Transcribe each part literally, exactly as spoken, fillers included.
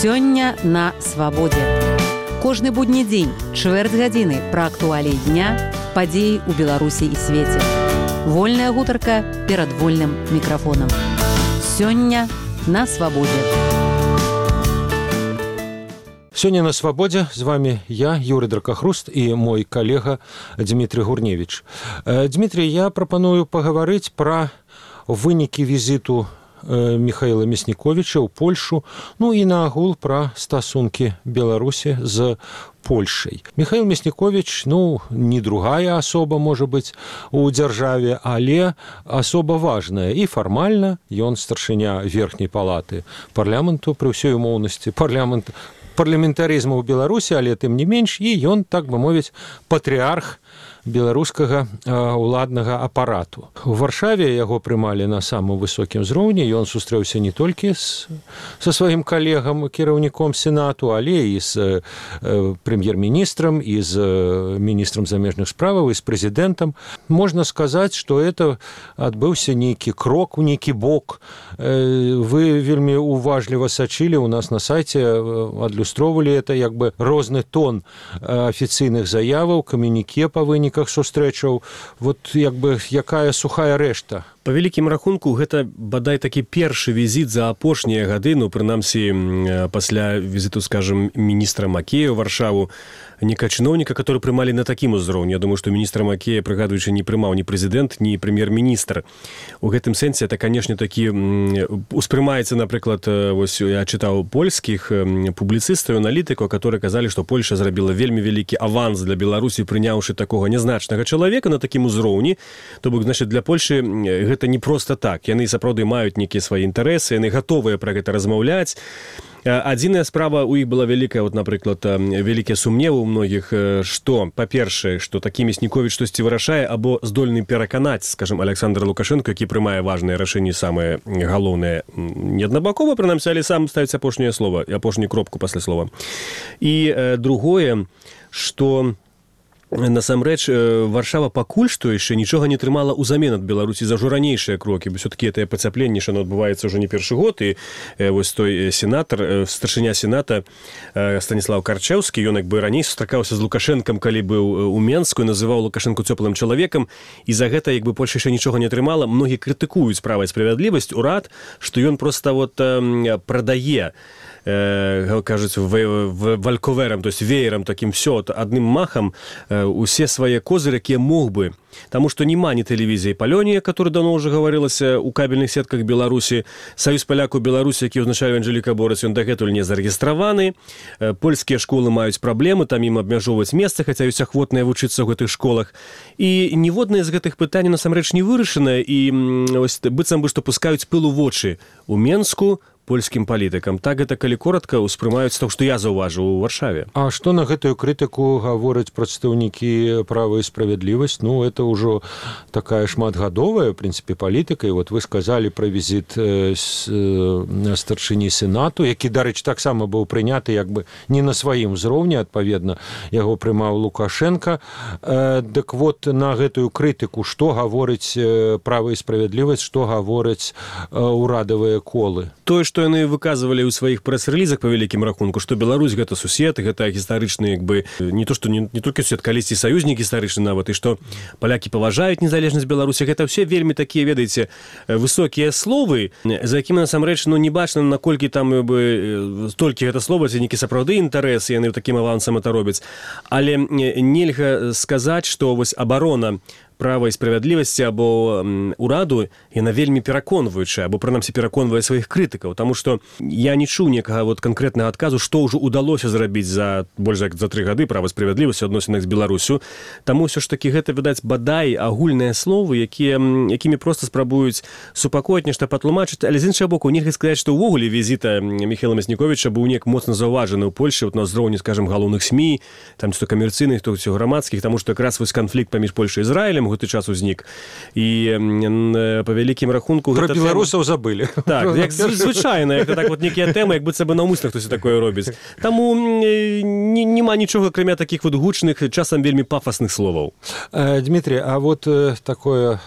Сёння на свабодзе. Кожны будні дзень, чвэрць гадзіны пра актуаліі дня, падзеі ў Беларусі і свеце. Вольная гутарка перад вольным мікрафонам. Сёння на свабодзе. Сёння на свабодзе з вами я, Юрий Дракахруст, і мой калега Дмітрий Гурневич. Дмітрий, я прапаную пагаварыць пра вынікі візіту Михаила Мясніковіча ў Польшу, ну і наагул пра стасункі Беларусі з Польшай. Михаил Мясніковіч, ну, не другая асоба, можа быць, у дзяржаве, але асоба важная. І фармальна ён старшыня верхняй палаты парламенту пры ўсёй умоўнасці парламент, парламентарызму ў Беларусі, але тым не менш, і ён, так бы мовіць, патрыарх беларускага ўладнага апарату. У Варшаве яго прымалі на самым высокім узроўні, ён сустрэўся не толькі з, са сваім калегам, кіраўніком Сенату, але і з э, прэм'ер-міністрам, і з міністрам замежных справаў, і з прэзідэнтам. Можна сказаць, што это адбыўся нейкі крок у нейкі бок. Э, вы вельмі уважліва сачылі, у нас на сайце адлюстроўвалі это як бы розны тон афіцыйных заяваў, камюніке па выніках сустрэчаў, вот як бы якая сухая рэшта. Па вялікім рахунку, гэта бадай такі першы візіт за апошнія гады, ну, прынамсі, пасля візіту, скажем, міністра Макея ў Варшаву, нека чыноўніка, который прымалі на такім узроўні. Я думаю, што міністра Макея, прыгадуючы, не прымаў ні прэзідэнт, ні прэм'ер-міністр. У гэтым сэнсе это, канешне, такі успрымаецца, напрыклад, вось я чытаў польскіх публіцыстаў, аналітыкаў, которые казалі, што Польша зрабіла вельмі вялікі аванс для Беларусі, прыняўшы такога нязначнага чалавека на такім узроўні. То бок, значит, для Польшы гэта не проста так. Яны сапраўды маюць нейкія свае інтарэсы, яны гатовыя пра гэта размаўляць. Адзіная справа у іх была вялікая, вот, напрыклад, вялікія сумневы ў многіх, што, па-першае, што такі Мясніковіч штосьці вырашае або здольны пераканаць, скажем, Александра Лукашенко, які прымае важныя рашэнні, самыя галоўныя, не аднабакова, прынамсі, але сам ставіць апошняе слова, апошнюю кропку пасля слова. І э, другое, што насамрэч, Варшава пакуль што яшчэ нічога не трымала ўзамен ад Беларусі за ўжо ранейшыя крокі, бо ўсё-такі гэтае пацяпленне, што адбываецца ўжо не першы год, і вось той сенатар, старшыня Сената Станіслав Карчэўскі, ён як бы раней сустракаўся з Лукашэнкам, калі быў у Менску, і называў Лукашэнку цёплым чалавекам, і за гэта, як бы, Польша яшчэ нічога не атрымала. Многі крытыкуюць права і справядлівасць, урад, што ён проста вот прадае, кажуць, вальковерам, то есть веерам таким все, адным махам усе свае козыры, якія мог бы. Таму што няма ні тэлевізіі Палёнія, который давно уже гаварылася ў кабельных сетках Беларусі, Саюз палякаў Беларусі, які ўзначае Анжэліка Борыс, ён дагэтуль не зарэгістраваны, польскія школы маюць праблемы, там ім абмяжоўваць месца, хаця ёсць ахвотныя вучыцца ў гэтых школах. І ніводнае з гэтых пытанняў насамрэч не вырашана, і ось, быццам бы што пускаюць пыл у вочы у Менску польскім палітыкам. Так гэта, калі коротка, успрымаюць то, што я заўважыў у Варшаве. А што на гэтую крытыку гавораць прадстаўнікі права і справядлівасць? Ну, это ўжо такая шматгадовая, в прынцыпе, палітыка. І вот вы сказалі пра візіт старшыні Сенату, які, дарэчы, таксама быў прыняты як бы не на сваім узроўні, адпаведна, яго прымаў Лукашенко. Дык вот на гэтую крытыку што гаворыць права і справядлівасць, што гавораць урадавыя колы? Тое, што яны выказывалі ў сваіх прэс-рэлізах па вялікім рахунку, што Беларусь гэта сусед, гэта гістарычны, як бы, не то, што не, не толькі сусед, калісьці саюзнік гістарычны нават, і што палякі паважаюць незалежнасць Беларусі, гэта ўсе вельмі такія, ведаеце, высокія словы, за якімі насамрэч, ну, не бачна, наколькі там, бы, толькі гэта слова, ці нейкі сапраўды інтарэс, яны такім авансам это робяць. Але нельга сказаць, што вось абарона права і справядлівасці або ураду, яна вельмі пераконваючая, або прынамсі пераконвае сваіх крытыкаў, таму што я не чуў некага вот канкрэтнага адказу, што ўжо удалося зрабіць за больш як за тры гады права справядлівасці ў адносінах з Беларусю. Таму ўсё ж такі гэта, відаць, бадай агульныя словы, якія, якімі проста спрабуюць супакоіць, нешта патлумачыць, але з іншага боку, нельга сказаць, што ўвогуле візіта Михаила Мясніковіча быў неяк моцна заўважаны ў Польшы, вот на ўзроўні, скажем, галоўных СМІ, там ці то камерцыйных, то ці грамадскіх, таму што якраз вось канфлікт паміж Польшай і Ізраілем, гэты час узнік. І па вялікім рахунку... Пра беларусаў забылі. Так, як звычайна, як так вот некія тэмы, як быццам бы наўмысна хтось такое робіць. Таму няма нічога, акрамя такіх вот гучных, часам вельмі пафасных словаў. Дмитрий, а вот такое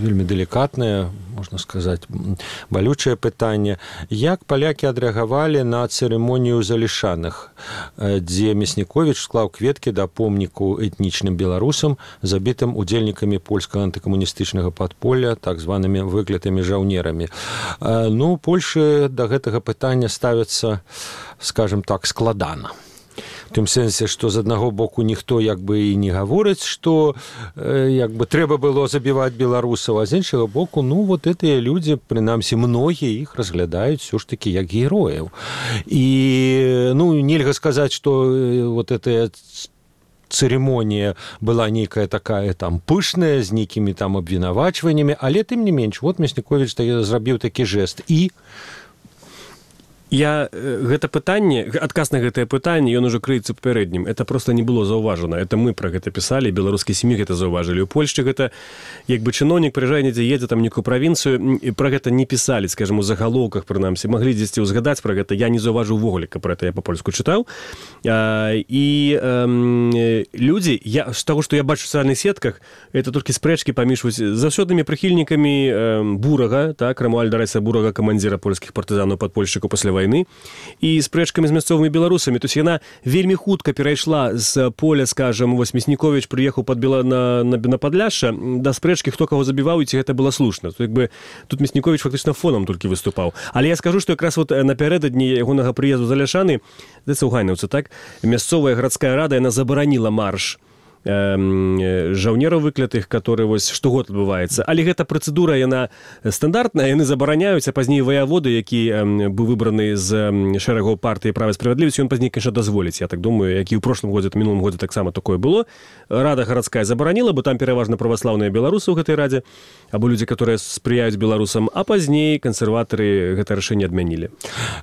вельмі делікатнае, можна сказаць, балючае пытанне. Як палякі адрэагавалі на цырымонію залішаных, дзе Мясніковіч склаў кветкі да помніку этнічным беларусам, забітым удзельнікамі польскага антыкамуністычнага падполля, так званымі выклятымі жаўнерамі. Ну, Польшы да гэтага пытання ставяцца, скажем так, складана. В тым сэнсе, што з аднаго боку ніхто як бы і не гаворыць, што як бы трэба было забіваць беларусаў, а з іншага боку, ну, вот гэтыя людзі, прынамсі, многія іх разглядаюць ўсё ж такі як герояў. І, ну, нельга сказаць, што вот гэтая цырымонія была нейкая такая там пышная, з нейкімі там абвінавачваннямі, але тым не менш, вот Мясніковіч зрабіў такі жэст. І Я гэта пытанне, адказ на гэтае пытанне, ён ужо крыецца папярэднім. Это просто не было заўважана. Это мы пра гэта пісалі, беларускія сем'і гэта заўважылі. У Польшчы гэта, як бы чыноўнік прыязджае недзе, едзе там нейкую правінцыю, і пра гэта не пісалі, скажем, у загалоўках, прынамсі. Маглі дзесьці ўзгадаць пра гэта. Я не заўважыў увогуле, каб пра гэта я па-польску чытаў. І э, людзі, я, з таго, што я бачу ў сацыяльных сетках, это толькі спрэчкі паміж заўсёднымі прыхільнікамі э, Бурага, так, Рамуальда Райса Бурага, камандзіра польскіх партызанаў падпольшчыкаў пасля вайны, і спрэчкамі з мясцовымі беларусамі. То есть яна вельмі хутка перайшла з поля, скажем, вось Мясніковіч прыехаў пад Бела... на, на, на Падляшша, да спрэчкі, хто каго забіваў, і ці гэта было слушна. То, як бы, тут Мясніковіч фактычна фонам толькі выступаў. Але я скажу, што якраз вот напярэдадні ягонага прыезду з Аляшаны, здаецца, ў Гайнаўцы, так, мясцовая гарадская рада, яна забараніла марш жаўнераў выклятых, которые вось штогод адбываецца. Але гэта працэдура, яна стандартная, яны забараняюць, а пазней ваяводы, які быў выбраны з шэрагаў партыі «Права і справядлівасць», ён пазней, конечно, дазволіць. Я так думаю, як і ў прошлым годзе, ў мінулым годзе таксама такое было. Рада гарадская забараніла, бо там пераважна праваслаўныя беларусы ў гэтай радзе, або людзі, которые спрыяюць беларусам, а пазней кансерватары гэта рашэнне адмянілі.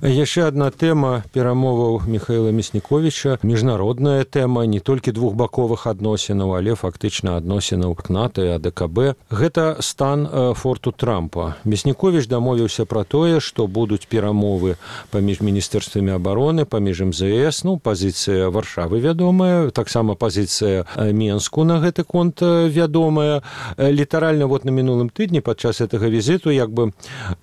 Яшчэ адна тэма перамоваў Міхаіла Мясніковіча, міжнародная тэма, не толькі двухбаковых адносінаў, але фактычна адносінаў к НАТО і АДКБ. Гэта стан форту Трампа. Мясніковіч дамовіўся пра тое, што будуць перамовы паміж міністэрствамі абароны, паміж эм зэ эс, ну, пазіцыя Варшавы вядомая, таксама пазіцыя Менску на гэты конт вядомая. Літаральна вот на мінулым тыдні падчас гэтага візіту як бы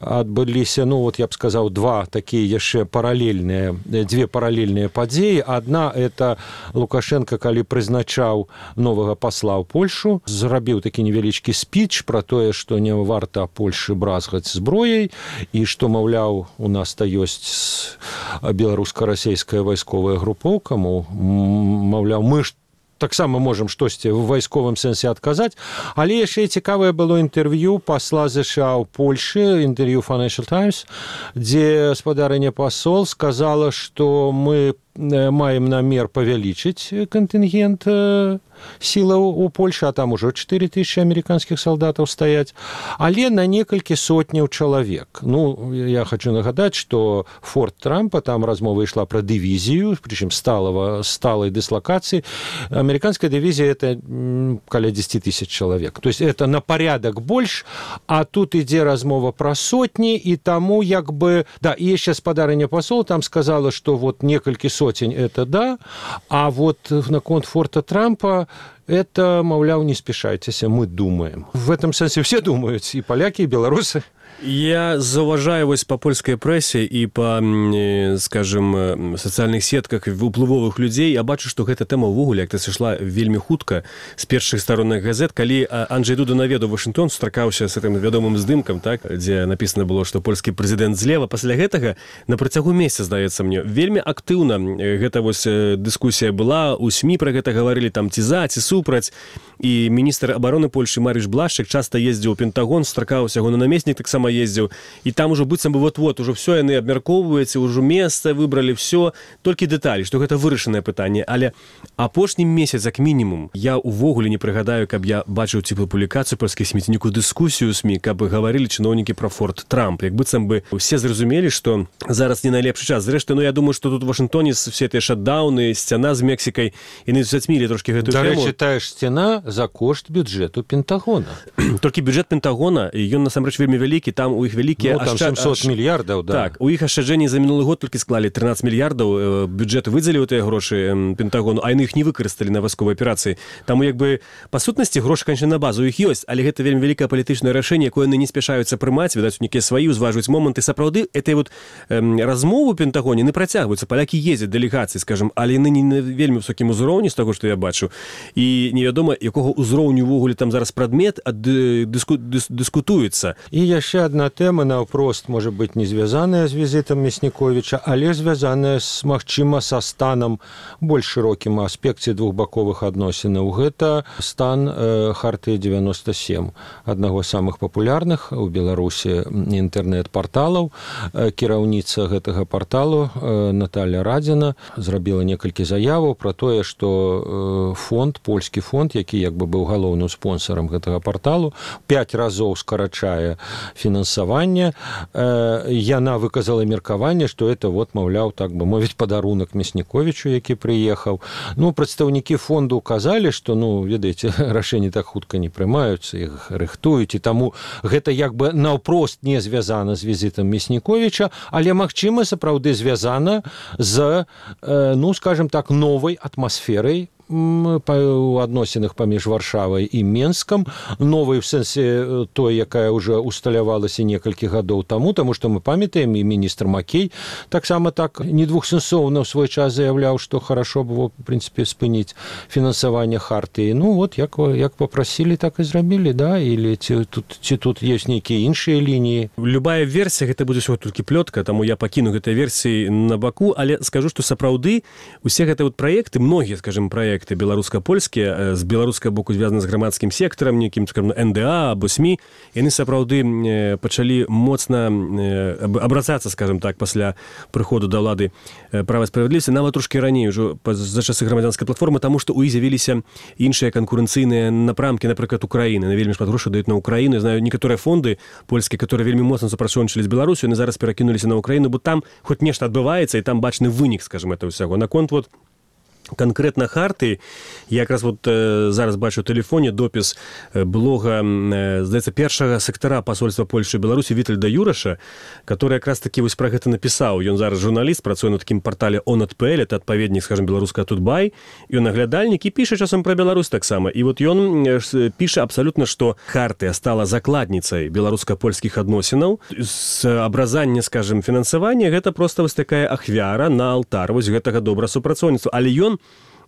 адбыліся, ну, вот я б сказаў, два такія яшчэ паралельныя, дзве паралельныя падзеі. Адна — это Лукашенко, калі прызначаў новага пасла ў Польшу, зрабіў такі невялічкі спіч пра тое, што не варта Польшы бразгаць зброяй, і што, маўляў, у нас-то ёсць беларуска-расейская вайсковая групоўка, маўляў, мы ж таксама можам штосьці ў вайсковым сэнсе адказаць. Але яшчэ і цікавае было інтэрв'ю пасла ЗША ў Польшы, інтэрв'ю Financial Times, дзе спадарыня пасол сказала, што мы маем намер павялічыць кантынгент сілаў у Польшы, а там ужо чатыры тысячы амерыканскіх салдатаў стаяць, але на некалькі сотняў чалавек. Ну, я хочу нагадаць, што форт Трампа, там размова ішла пра дывізію, прычым сталого, сталай дыслакацыі. Амерыканская дывізія — это каля дзесяць тысяч чалавек. То есть это на порядок больш, а тут ідзе размова пра сотні, і таму як бы... Да, і яшчэ спадарыня пасол там сказала, што вот некалькі сотень — это да, а вот наконт форта Трампа это, маўляў, не спешайтеся, мы думаем. В этом сэнсе все думаюць, і палякі, і беларусы. Я заўважаю вось па польскай прэсе і па, скажем, сацыяльных сетках уплывовых людзей, я бачу, што гэта тэма ўвогуле як-то сышла вельмі хутка з першых старонных газет, калі Анджэй Дуда наведаў Вашынгтон, сустракаўся з гэтым вядомым здымкам, так, дзе напісана было, што польскі прэзідэнт злева. Пасля гэтага на працягу месяца, здаецца мне, вельмі актыўна гэта вось дыскусія была, у СМІ пра гэта гаварылі, там ці за, ці супраць, і міністр абароны Польшы Марыш Блашчык часта ездзіў у Пентагон, сустракаўся ягоны намеснік таксама таксама ездзіў, і там ужо быццам бы вот-вот ужо все яны абмяркоўваюцца, ужо месца выбралі, все, толькі дэталі, што гэта вырашанае пытанне, але апошні месяц як мінімум я увогуле не прыгадаю, каб я бачыў ці публікацыю польскіх СМІ, ці нейкую дыскусію СМІ, каб гаварылі чыноўнікі пра Форт Трамп, як быццам бы все зразумелі, што зараз не найлепшы час. Зрэшты, ну я думаю, што тут у Вашынгтоне все тыя шатдауны, сцяна з Мексікай, яны зацьмілі трошкі гэтую тэму. Дарэчы, тая ж сцяна за кошт бюджэту Пентагона. Толькі бюджэт Пентагона, ён насамрэч вельмі вялікі, там у іх вялікія... Ну, там ашчад... семьсот мільярдаў, да. Так, у іх ашчаджэнні за мінулы год толькі склалі трынаццаць мільярдаў, бюджэт выдзеліў тыя грошы Пентагону, а яны іх не выкарысталі на вайсковай аперацыі. Таму як бы па сутнасці грошы, канечне, на базу іх ёсць, але гэта вельмі вялікае палітычнае рашэнне, якое яны не спяшаюцца прымаць, відаць, у нейкія свае ўзважваюць моманты. Сапраўды, этой вот эм, размовы ў Пентагоне не працягваюцца. Палякі ездзяць дэлегацыі, скажем, але яны не на вельмі высокім узроўні з таго, што я бачу. І невядома, якога ўзроўню ўвогуле там зараз прадмет дыску, дыс, дыскутуецца. І яшчэ адна тэма, наўпрост, можа быць, не звязаная з візітам Мясніковіча, але звязаная з, магчыма, са станам больш шырокім аспекце двухбаковых адносінаў. Гэта стан э, Хартыі девяносто семь, аднаго з самых папулярных у Беларусі інтэрнэт-парталаў. Э, кіраўніца гэтага парталу э, Наталья Радзіна зрабіла некалькі заяваў пра тое, што э, фонд, польскі фонд, які як бы быў галоўным спонсорам гэтага парталу, пяць разоў скарачае фінансаванне. Э, яна выказала меркаванне, што это вот, маўляў, так бы мовіць, падарунак Мясніковічу, які прыехаў. Ну, прадстаўнікі фонду казалі, што, ну, ведаеце, рашэнні так хутка не прымаюцца, іх рыхтуюць, і таму гэта як бы наўпрост не звязана з візітам Мясніковіча, але, магчыма, сапраўды звязана з, э, ну, скажем так, новай атмасферай у адносінах паміж Варшавай і Менскам, новай в сэнсе той, якая ўжо усталявалася некалькі гадоў таму, таму што мы памятаем, і міністр Макей таксама так недвухсэнсоўна ў свой час заяўляў, што хорошо было, в прынцыпе, спыніць фінансаванне Хартыі. Ну, вот, як, як папрасілі, так і зрабілі, да? Или ці тут, ці тут ёсць нейкія іншыя лініі? Любая версія, гэта будзе ўсё толькі плётка, таму я пакіну гэтай версіі на баку, але скажу, што сапраўды усе гэтыя вот праекты, многія, скажем, праекты беларуска-польскія, з беларускага боку звязаны з грамадскім сектарам, нейкім, скажем, эн дэ а або СМІ, яны сапраўды пачалі моцна абрацацца, скажем так, пасля прыходу да ўлады права і справядлівасці, нават трошкі раней ужо за часы грамадзянскай платформы, таму што ў іх з'явіліся іншыя канкурэнцыйныя напрамкі, напрыклад, Украіны. На вельмі шмат грошай даюць на Украіну. Я знаю некаторыя фонды польскія, которые вельмі моцна супрацоўнічалі з Беларусю, яны зараз перакінуліся на Украіну, бо там хоць нешта адбываецца, і там бачны вынік, скажем, этого ўсяго. Наконт вот конкретно Хартыі, я якраз вот э, зараз бачу ў тэлефоне допіс э, блога, э, здаецца, першага сектара пасольства Польшы і Беларусі Вітальда Юраша, который якраз такі вось пра гэта напісаў. Ён зараз журналіст, працуе на такім партале он ат пэ эл, это адпаведнік, скажем, беларуска Тутбай, і ён наглядальнік і піша часам пра Беларусь таксама. І вот ён э, піша абсалютна, што Хартыя стала закладніцай беларуска-польскіх адносінаў. З абразання, скажем, фінансавання, гэта проста вось такая ахвяра на алтар вось гэтага добра супрацоўніцтва. Але ён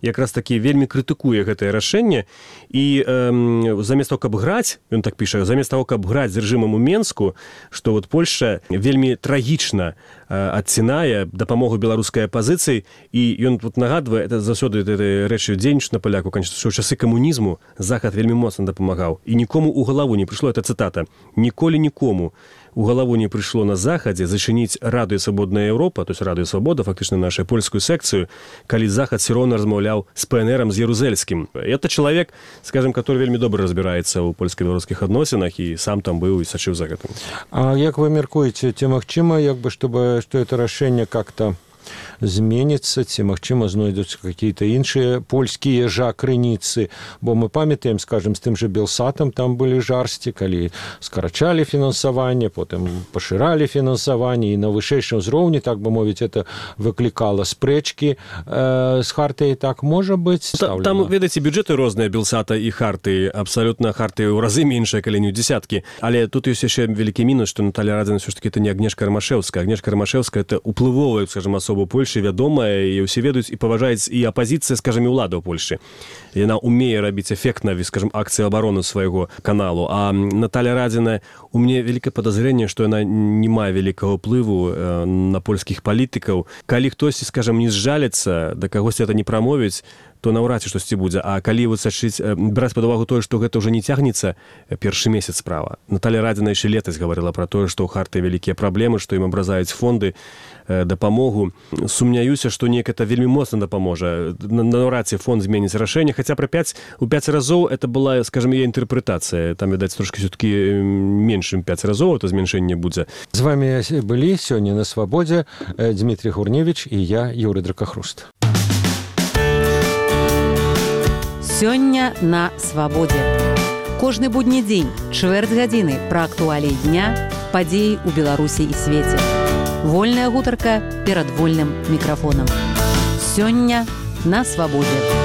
якраз такі вельмі крытыкуе гэтае рашэнне, і э, замест того, каб граць, ён так піша, замест того, каб граць з рэжымам у Менску, што вот Польша вельмі трагічна э, адцінае дапамогу беларускай апазіцыі, і ён вот нагадвае, это заўсёды рэчы дзейнічаюць на паляку, конечно, што ў часы камунізму Захад вельмі моцна дапамагаў, і нікому ў галаву не прыйшло, это цытата, ніколі нікому у галаву не прыйшло на Захадзе зачыніць Радыё Свабодная Еўропа, то есть Радыё Свабода, фактычна нашу польскую секцыю, калі Захад все роўна размаўляў з пэ эн эрам, з Ярузельскім. Это чалавек, скажем, который вельмі добра разбіраецца ў польска-беларускіх адносінах і сам там быў і сачыў за гэтым. А як вы мяркуеце, ці магчыма, як бы, чтобы, што это рашэнне как-то зменіцца, ці, магчыма, знойдуцца какие-то іншыя польскія жа крыніцы, бо мы памятаем, скажем, з тым же Белсатам там былі жарсці, калі скарачалі фінансаванне, потым пашыралі фінансаванне, і на вышэйшым узроўні, так бы мовіць, это выклікала спрэчкі э, з Хартыяй, так можа быць стаўлена? Там, ведаеце, бюджэты розныя Белсата і Хартыі, абсалютна Хартыі ў разы меншая, калі не ў дзесяткі, але тут ёсць яшчэ вялікі мінус, што Наталья Радзіна ўсё ж такі это не Агнешка Рамашэўская. Агнешка Рамашэўская это уплывовая, скажем, асоба Польшы, вядомая, і ўсе ведаюць і паважаюць і апазіцыя, скажем, і ўлада ў Польшы. Яна умее рабіць эфектна, скажем, акцыі абароны свайго каналу. А Наталья Радзіна, у мяне вялікае падазрэнне, што яна не мае вялікага ўплыву э, на польскіх палітыкаў. Калі хтосьці, скажем, не зжаліцца, да кагосьці это не прамовіць, то наўрад ці штосьці будзе. А калі вот сачыць, браць пад увагу тое, што гэта ўжо не цягнецца першы месяц справа. Наталья Радзіна яшчэ летась гаварыла пра тое, што ў Харты вялікія праблемы, што ім абразаюць фонды, дапамогу. Сумняюся, што неяк это вельмі моцна дапаможа. Наўрад ці фонд зменіць рашэнне, хаця пра пяць у пяць разоў это была, скажем, яе інтэрпрэтацыя. Там, відаць, трошкі все-таки меншым пяць разоў это зменшэнне будзе. З вами былі сёння на Свабодзе Дмітрий Гурневіч і я, Юрый Дракахруст. Сёння на Свабодзе. Кожны будні дзень, чвэрць гадзіны пра актуаліі дня, падзеі ў Беларусі і свеце. Вольная гутарка перад вольным мікрафонам. Сёння на Свабодзе.